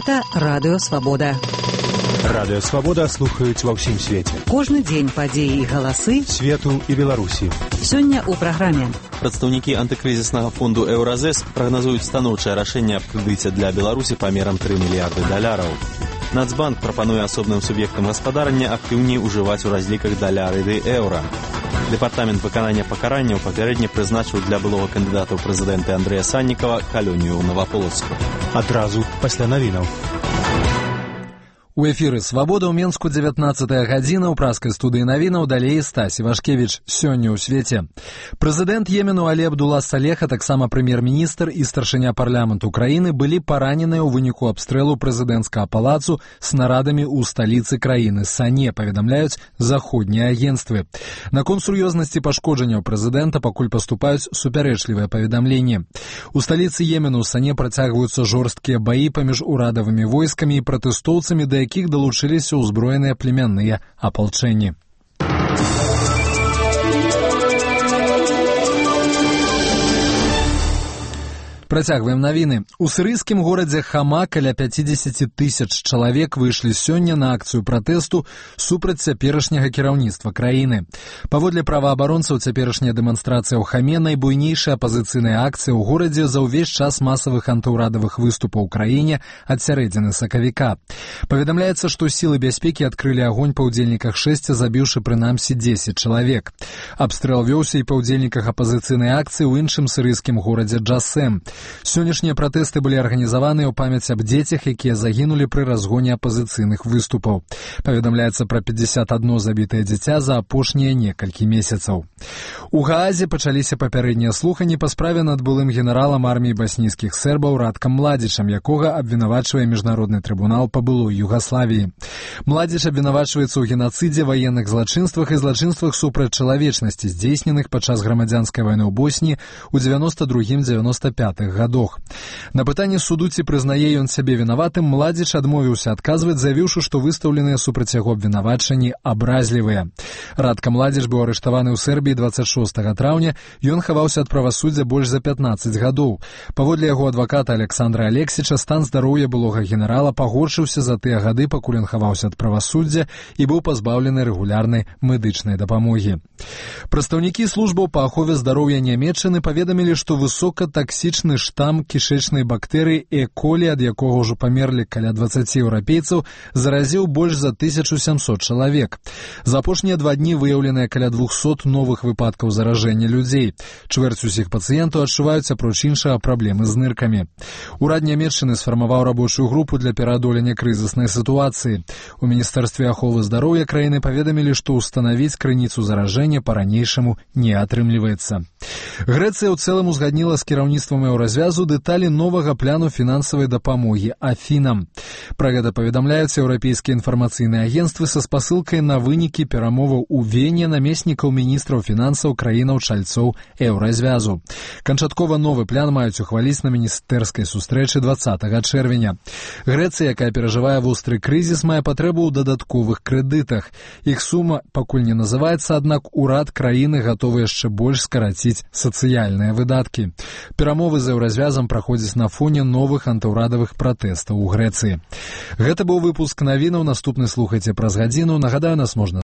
Гэта Радыё Свабода. Радыё Свабода слухаюць ва ўсім свеце. Кожны дзень падзеі і галасы свету і Беларусі. Сёння ў праграме. Прадстаўнікі антыкрызіснага фонду Еўразэс прагназуюць станоўчае рашэнне аб крэдыце для Беларусі памерам $3 мільярды. Нацбанк прапануе асобным суб'ектам гаспадарання актыўней ужываць у разліках даляры ды еўра. Дэпартамент выканання пакаранняў папярэдне прызначыў для былога кандыдата ў прэзідэнты Андрэя Саннікава калонію ў Новаполацку. Адразу пасля навінаў. У эфіры «Свабода» ў Менску 19-я гадзіна, ў праскай студыі навінаў далей Стась Івашкевіч. Сёння ў свеце. Прэзідэнт Йемену Алі Абдулла Салех, а таксама прэм'ер-міністр і старшыня парламенту краіны былі параненыя ў выніку абстрэлу прэзідэнцкага палацу снарадамі ў сталіцы краіны Сане, паведамляюць заходнія агенцтвы. Наконт сур'ёзнасці пашкоджанняў прэзідэнта пакуль паступаюць супярэчлівыя паведамленні. У сталіцы Йемену Сане працягваюцца жорсткія баі паміж урадавымі войскамі і пратэстоўцамі, да якіх далучыліся ўзброеныя племянныя апалчэнні. Працягваем навіны. У сірыйскім горадзе Хама каля 50 тысяч чалавек выйшлі сёння на акцыю пратэсту супраць цяперашняга кіраўніцтва краіны. Паводле праваабаронцаў, цяперашняя дэманстрацыя ў Хаме найбуйнейшая апазіцыйная акцыя ў горадзе за ўвесь час масавых антыўрадавых выступаў у краіне ад сярэдзіны сакавіка. Паведамляецца, што сілы бяспекі адкрылі агонь па ўдзельніках шэсця, забіўшы прынамсі 10 чалавек. Абстрэл вёўся і па ўдзельніках апазіцыйнай акцыі ў іншым сірыйскім горадзе Джасэм. Сённяшнія пратэсты былі арганізаваныя ў памяць аб дзецях, якія загінулі пры разгоне апазіцыйных выступаў. Паведамляецца пра 51 забітае дзіця за апошнія некалькі месяцаў. У Гаазе пачаліся папярэднія слуханні па справе над былым генералам арміі баснійскіх сербаў Раткам Младзічам, якога абвінавачвае міжнародны трыбунал па былой Югаславіі. Младзіч абвінавачваецца ў генацыдзе, ваенных злачынствах і злачынствах супраць чалавечнасці, здзейсненых падчас грамадзянскай вайны ў Босніі ў 92-95 гадах. На пытанне суду, ці прызнае ён сябе вінаватым, Младзіч адмовіўся адказваць, заявіўшы, што выстаўленыя супраць яго абвінавачанні абразлівыя. Радка Младзіч быў арыштаваны ў Сербіі 26 траўня, ён хаваўся ад правасуддзя больш за 15 гадоў. Паводле яго адваката Александра Алексіча, стан здароўя былога генерала пагоршыўся за тыя гады, пакуль ён хаваўся ад правасуддзя і быў пазбаўлены рэгулярнай медычнай дапамогі. Прадстаўнікі службаў па ахове здароўя Нямецчыны паведамілі, што высокатаксічны штам кішэчнай бактэрыі Е. колі, ад якога ўжо памерлі каля 20 еўрапейцаў, заразіў больш за 1700 чалавек. За апошнія 2 дні выяўленыя каля 200 новых выпадкаў заражэння людзей. Чвэрць усіх пацыентаў адчуваюць, апроч іншага, праблемы з ныркамі. Урад Нямецчыны сфармаваў рабочую групу для пераадолення крызіснай сітуацыі. У Міністэрстве аховы здароўя краіны паведамілі, што ўстанавіць крыніцу заражэння па-ранейшаму не атрымліваецца. Грэцыя ў цэлым узгадніла з кіраўніцтвам Еўразвязу дэталі новага пляну фінансавай дапамогі Афінам. Пра гэта паведамляюць еўрапейскія інфармацыйныя агенцтвы са спасылкай на вынікі перамоваў у Вене намеснікаў міністраў фінансаў краінаў-чальцоў Еўразвязу. Канчаткова новы плян маюць ухваліць на міністэрскай сустрэчы 20 чэрвеня. Грэцыя, якая перажывае востры крызіс, мае патрэбу ў дадатковых крэдытах. Іх сума пакуль не называецца, аднак урад краіны гатовы яшчэ больш скараціць сацыяльныя выдаткі. Перамовы з Еўразвязам праходзяць на фоне новых антыўрадавых пратэстаў у Грэцыі. Гэта быў выпуск навінаў. Наступны слухайце праз гадзіну. Нагадаю, нас можна